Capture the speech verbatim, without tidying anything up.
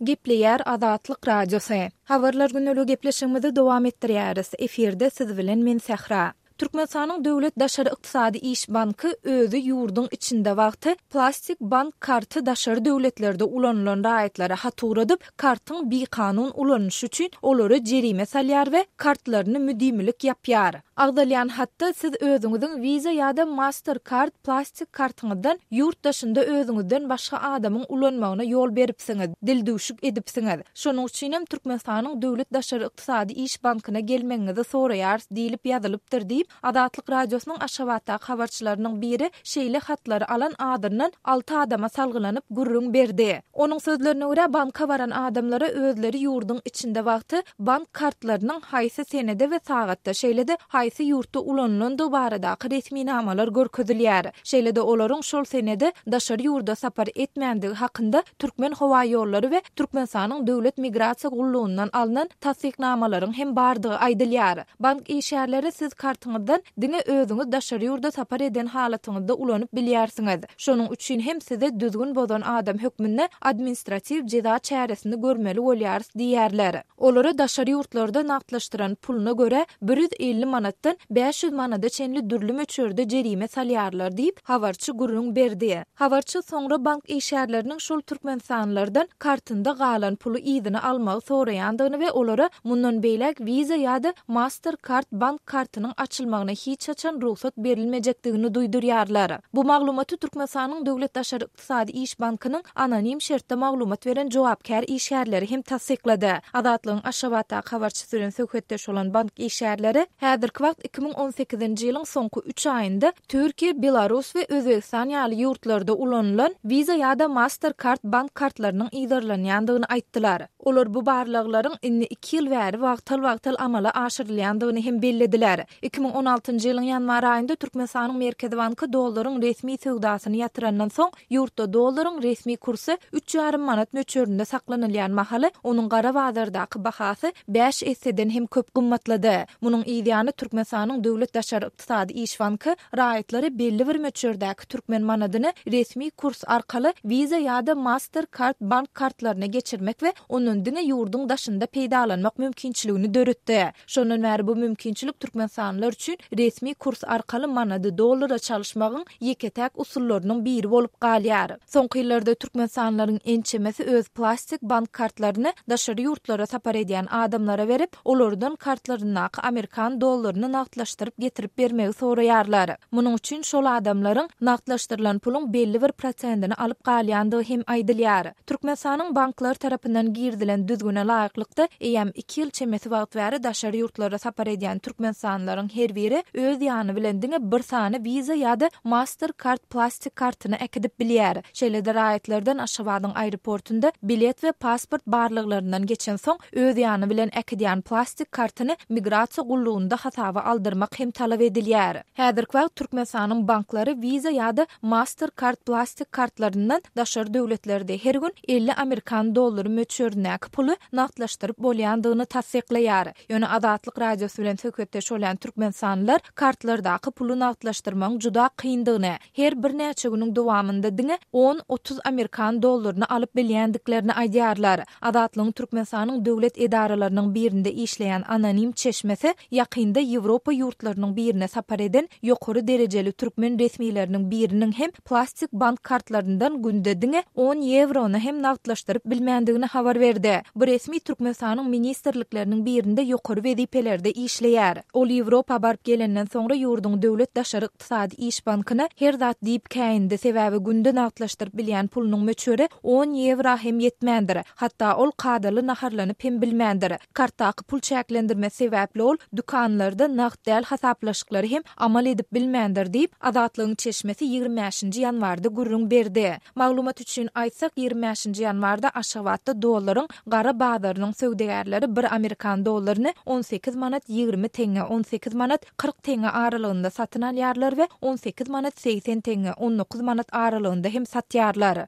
Gepleýär Azatlyk Radiosy. Habarlar gündeligi gepleşigimizi dowam etdirýäris. Efirde siz bilen men Sähra. Türkmenistanyň Döwlet daşary ykdysady iş banky özi ýurduň içinde wagty plastik bank karty daşary döwletlerde ulanylan raýatlara hat ugradyp, kartyň bikanun ulanyşy üçin olara jerime salýar we kartlaryny müdimilik ýapýar. Agzalýan hatda siz özüňiziň Visa ýa-da Mastercard plastik kartyňyzdan ýurt daşynda özüňizden başga adamyň ulanmagyna ýol beripsiňiz, dildüwşük edipsiňiz. Şonuň üçin hem Türkmenistanyň Döwlet daşary ykdysady iş bankyna gelmegiňizi soraýarys diýlip ýazylypdyr diýip, Azatlyk Radiosynyň Aşgabatdaky habarçylarynyň biri şeýle hatlary alan adyndan alty adama salgylanyp gürrüň berdi. Onuň sözlerine görä, banka baran adamlara özleri ýurduň içinde wagty bank kartlarynyň haýsy senede we sagatda, şeýle-de haýsy ýurtda ulanylandygy baradaky resminamalar görkezilýär. Şeýle-de olaryň şol senede daşary ýurda sapar etmändigi hakynda Türkmenhowaýollary we Türkmenistanyň Döwlet migrasiýa gullugyndan alnan tassyknamalaryň hem bardygy aýdylýar. Bank işgärleri siz kartyňyzdan diňe özüňiz daşary ýurda sapar eden halatyňyzda ulanyp bilýärsiňiz. Şonuň üçin hem size düzgün bozan adam hökmünde administratiw jeza çäresini görmeli bolýarys diýýärler. Olara daşary ýurtlarda nagtlaşdyran puluna görä bir ýüz elli manatdan bäş ýüz manada çenli dürli möçberde jerime salýarlar diýip, habarçy gürrüň berdi. Habarçy soňra bank işgärleriniň şol türkmenistanlylardan kartynda galan puly yzyna almagy soraýandygyny we olara mundan beýläk Visa ýa-da Mastercard bank kartynyň açylmagyna hiç haçan rugsat berilmejekdigini duýdurýarlar. Bu maglumaty Türkmenistanyň Döwlet daşary ykdysady iş bankynyň anonim şertde maglumat beren jogapkär işgärleri hem tassyklady. Azatlygyň Aşgabatdaky habarçysy bilen söhbetdeş bolan bank işgärleri häzirki wagt iki müň on sekizinji ýylyň soňky üç aýynda Türkiýe, Belarus we Özbegistan ýaly ýurtlarda ulanylan Visa ýa-da Mastercard bank kartlarynyň yzarlanýandygyny aýtdylar. Olar bu barlaglaryň indi iki ýyl bäri wagtal-wagtal amala aşyrylýandygyny hem bellediler. Iki müň on altynjy ýylyň ýanwar aýynda Türkmenistanyň Merkezi banky dollaryň resmi söwdasyny ýatyrandan soň, ýurtda dollaryň resmi kursy üç ýarym manat möçberinde saklanylýan mahaly, onuň gara bazardaky bahasy bäş esseden hem köp gymmatlady. Munuň yz ýany Türkmenistanyň Döwlet daşary ykdysady iş banky raýatlara belli bir möçberdäki türkmen manadyny resmi kurs arkaly Visa ýa-da Mastercard bank kartlaryna geçirmek we ondan diňe ýurduň daşynda peýdalanmak mümkinçiligini döretdi. Şondan bäri bu mümkinçilik türkmenistanlylar üçin resmi kurs arkaly manady dollara çalyşmagyň ýeke-täk usullarynyň biri bolup galýar. Soňky ýyllarda türkmenistanlylaryň ençemesi öz plastik bank kartlaryny daşary ýurtlara sapar edýän adamlara berip, olardan kartlaryndaky amerikan dollaryny nagtlaşdyryp getirip bermegi soraýarlar. Munuň üçin şol adamlaryň nagtlaşdyrylan puluň belli bir prosentini alyp galýandygy hem aýdylýar. Türkmenistanyň banklar tarapyndan girizilen düzgüne laýyklykda, eýýäm iki ýyl çemesi wagt bäri daşary ýurtlara sapar edýän türkmenistanlylaryň her biri öz ýany bilen diňe bir sany Visa ýa-da Mastercard plastik kartyny äkidip bilýär. Şeýle-de raýatlardan Aşgabadyň aeroportunda bilet we pasport barlaglaryndan geçensoň öz ýany bilen äkidýän plastik kartyny migrasiýa gullugynda hasaba aldyrmak hem talap edilýär. Häzirki wagt Türkmenistanyň banklary Visa ýa-da Mastercard plastik kartlaryndan daşary döwletlerde her gün elli amerikan dollary möçberindäki puly nagtlaşdyryp bolýandygyny tassyklaýar. Ýöne Azatlyk Radiosy bilen söhbetdeş bolýan türkmenistanlylar kartlardaky puly nagtlaşdyrmagyň juda kyndygyny, her birnäçe günüň dowamynda diňe on-otuz amerikan dollaryny alyp bilýändiklerini aýdýarlar. Azatlygyň Türkmenistanyň döwlet edaralarynyň birinde işleýän anonim çeşmesi ýakynda Ýewropa ýurtlarynyň birine sapar eden ýokary derejeli türkmen resmileriniň biriniň hem plastik bank kartlaryndan günde diňe on ýewrony hem nagtlaşdyryp bilmändigini habar berdi. Bu resmi Türkmenistanyň ministrlikleriniň birinde ýokary wezipelerde işleýär. Ol Ýewropa baryp gelenden soňra ýurduň döwlet daşary ykdysady iş bankyna her zat diýip käýindi, sebäbi günde nagtlaşdyryp bilýän pulunyň möçberi on ýewra hem ýetmändir. Hatda ol kadaly naharlanyp hem bilmändir. Kartdaky pul çäklendirmesi sebäpli ol dükanlarda nagt däl hasaplaşyklary hem amal edip bilmändir diýip, Azatlygyň çeşmesi ýigrimi bäşinji ýanwarda gürrüň berdi. Maglumat üçin aýtsak, ýigrimi bäşinji ýanwarda Aşgabatda dollaryň gara bazarynyň söwdagärleri bir amerikan dollaryny on sekiz manat ýigrimi teňňe, on sekiz manat kyrk teňňe aralygynda satyn alýarlar we on sekiz manat segsen teňňe, on dokuz manat aralygynda hem satýarlar.